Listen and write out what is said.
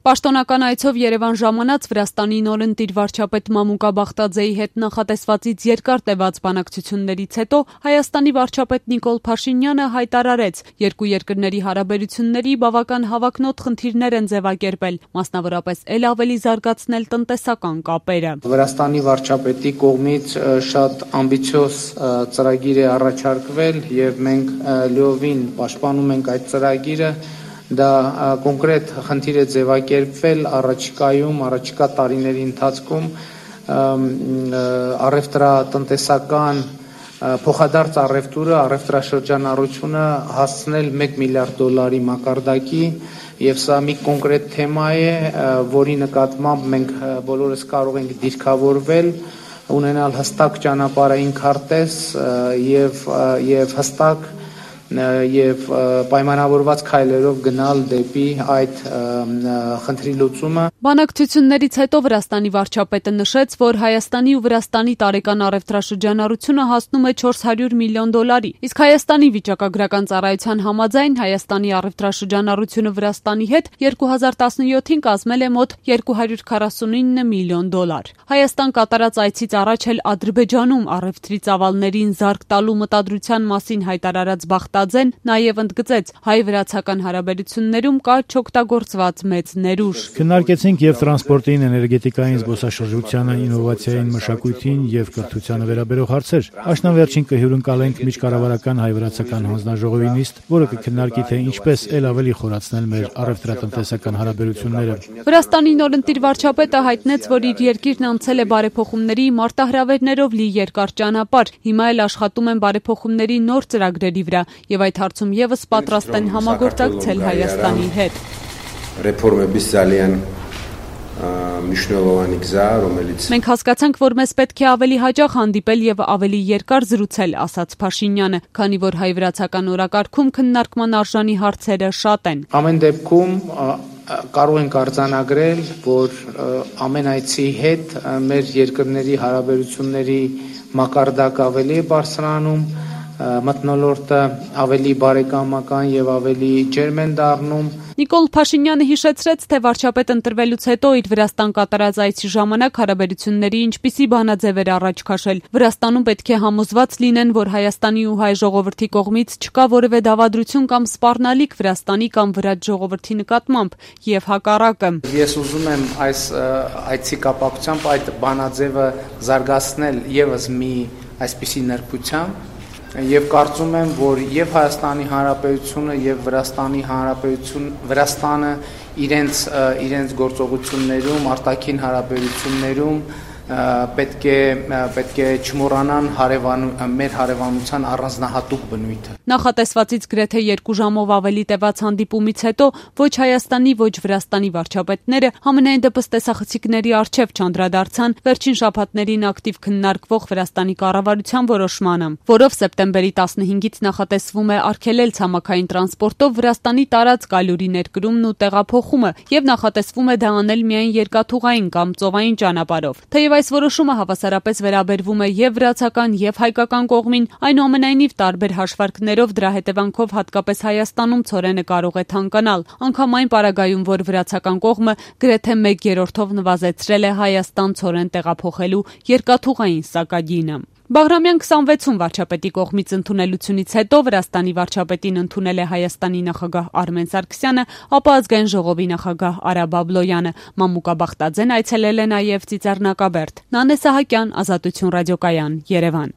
Պաշտոնական այցով Երևան ժամանած Վրաստանի նորընտիր վարչապետ Մամուկա Բախտաձեի հետ նախատեսվածից երկար տևած բանակցություններից հետո Հայաստանի վարչապետ Նիկոլ Փաշինյանը հայտարարեց, երկու երկրների հարաբերությունների բավական հավակնոտ խնդիրներ են ձևակերպել, մասնավորապես էլ ավելի զարգացնել տնտեսական կապերը։ Վրաստանի վարչապետի կողմից շատ ամբիցիոզ ծրագիր է առաջարկվել եւ մենք լիովին պաշտպանում ենք այդ ծրագիրը։ Դա կոնկրետ խնդիր է ձևակերպվել առաջիկա տարիների ընթացքում առևտրատնտեսական փոխադարձ առևտրաշրջանառությունը հասցնել $1 միլիարդ մակարդակի եւ սա մի կոնկրետ թեմա է, որի նկատմամբ մենք բոլորս կարող ենք դիրքավորվել, ունենալ հստակ ճանապարհային քարտեզ եւ հստակ եւ պայմանավորված քայլերով գնալ դեպի այդ խնդրի լուծումը։ Բանակցություններից հետո Վրաստանի վարչապետը նշեց, որ Հայաստանի ու Վրաստանի տարեկան առևտրաշրջանառությունը հասնում է $400 միլիոն, իսկ Հայաստանի վիճակագրական ծառայության համաձայն Հայաստանի առևտրաշրջանառությունը Վրաստանի հետ 2017-ին կազմել է մոտ $249 միլիոն։ Հայաստան կատարած այցից առաջ էլ Ադրբեջանում առևտրի ծավալներին զարկ տալու մտադրության մասին հայտարարած Բախտաձեն նաև ընդգծեց, հայ-վրացական հարաբերություններում կա չօգտագործված մեծ ներուժ։ Քննարկեցինք եւ տրանսպորտին, էներգետիկային, զբոսաշրջությանը, ինովացիային, մշակույթին եւ կրթությանը վերաբերող հարցեր։ Աշնանվերջին կհյուրընկալենք միջկառավարական հայ-վրացական հանձնաժողովի նիստ, որը կքննարկի թե ինչպես ել ավելի խորացնել մեր առևտրատնտեսական հարաբերությունները։ Վրաստանի նորընտիր վարչապետը հայտնեց, որ իր երկիրն անցել է բարեփոխումների մարտահրավերներով լի երկար ճանապարհ, հիմա էլ աշխատում են բարեփոխումների նոր ծրագրերի վրա եւ այդ հարցում եւս պատրաստ են համագործակցել Հայաստանի հետ։ Մենք հասկացանք, որ մեզ պետք է ավելի հաճախ հանդիպել եւ ավելի երկար զրուցել, ասաց Փաշինյանը, քանի որ հայ-վրացական օրակարգում քննարկման արժանի հարցերը շատ են։ Ամեն դեպքում կարող ենք արձանագրել, որ ամեն այցի հետ մեր երկրների հարաբերությունների մակարդակը ավելի է բարձրանում, մթնոլորտը ավելի բարեկամական եւ ավելի ջերմ են դառնում։ Նիկոլ Փաշինյանը հիշեցրեց, թե վարչապետ ընտրվելուց հետո իր Վրաստան կատարած այցի ժամանակ հարաբերությունների ինչպիսի բանաձև էր առաջ քաշել։ Վրաստանում պետք է համոզված լինեն, որ Հայաստանի ու հայ ժողովրդի կողմից չկա որևէ դավադրություն կամ սպառնալիք Վրաստանի կամ վրաց ժողովրդի նկատմամբ եւ հակառակը։ Ես ուզում եմ այս այցի կապակցությամբ այդ բանաձևը զարգացնել եւս մի այսպիսի նրբությամբ եւ կարծում եմ, որ եւ Հայաստանի Հանրապետությունը եւ Վրաստանը իրենց գործողություններում, արտաքին հարաբերություններում պետք է չմոռանան մեր հարևանության առանձնահատուկ բնույթը։ Նախատեսվածից գրեթե 2 ժամով ավելի տևած հանդիպումից հետո ոչ Հայաստանի, ոչ Վրաստանի վարչապետները համենայն դեպս տեսախցիկների առջև չանդրադարձան վերջին շաբաթներին ակտիվ քննարկվող Վրաստանի կառավարության որոշմանը, որով սեպտեմբերի 15-ից նախատեսվում է արգելել ցամաքային տրանսպորտով Վրաստանի տարած գալյուրի ներկրումն ու տեղափոխումը եւ նախատեսվում է դա անել միայն երկաթուղային կամ ծովային ճանապարհով։ Թեև այս որոշումը հավասարապես վերաբերվում է եւ վրացական եւ հայկական կողմին, այնուամենայնիվ տարբեր հաշվարկներով դրա հետևանքով հատկապես Հայաստանում ցորենը կարող է թանկանալ, անգամ այն պարագայում, որ վրացական կողմը գրեթե 1/3-ով նվազեցրել է Հայաստան ցորեն տեղափոխելու երկաթուղային սակագինը։ Բաղրամյան 26-ում վարչապետի կողմից ընդունելությունից հետո Վրաստանի վարչապետին ընդունել է Հայաստանի նախագահ Արմեն Սարգսյանը, ապա ազգային ժողովի նախագահ Արա Բաբլոյանը։ Մամուկա Բախտաձեն այցելել է նաև Ծիծեռնակաբերդ։ Նանե Սահակյան, Ազատություն ռադիոկայան, Երևան։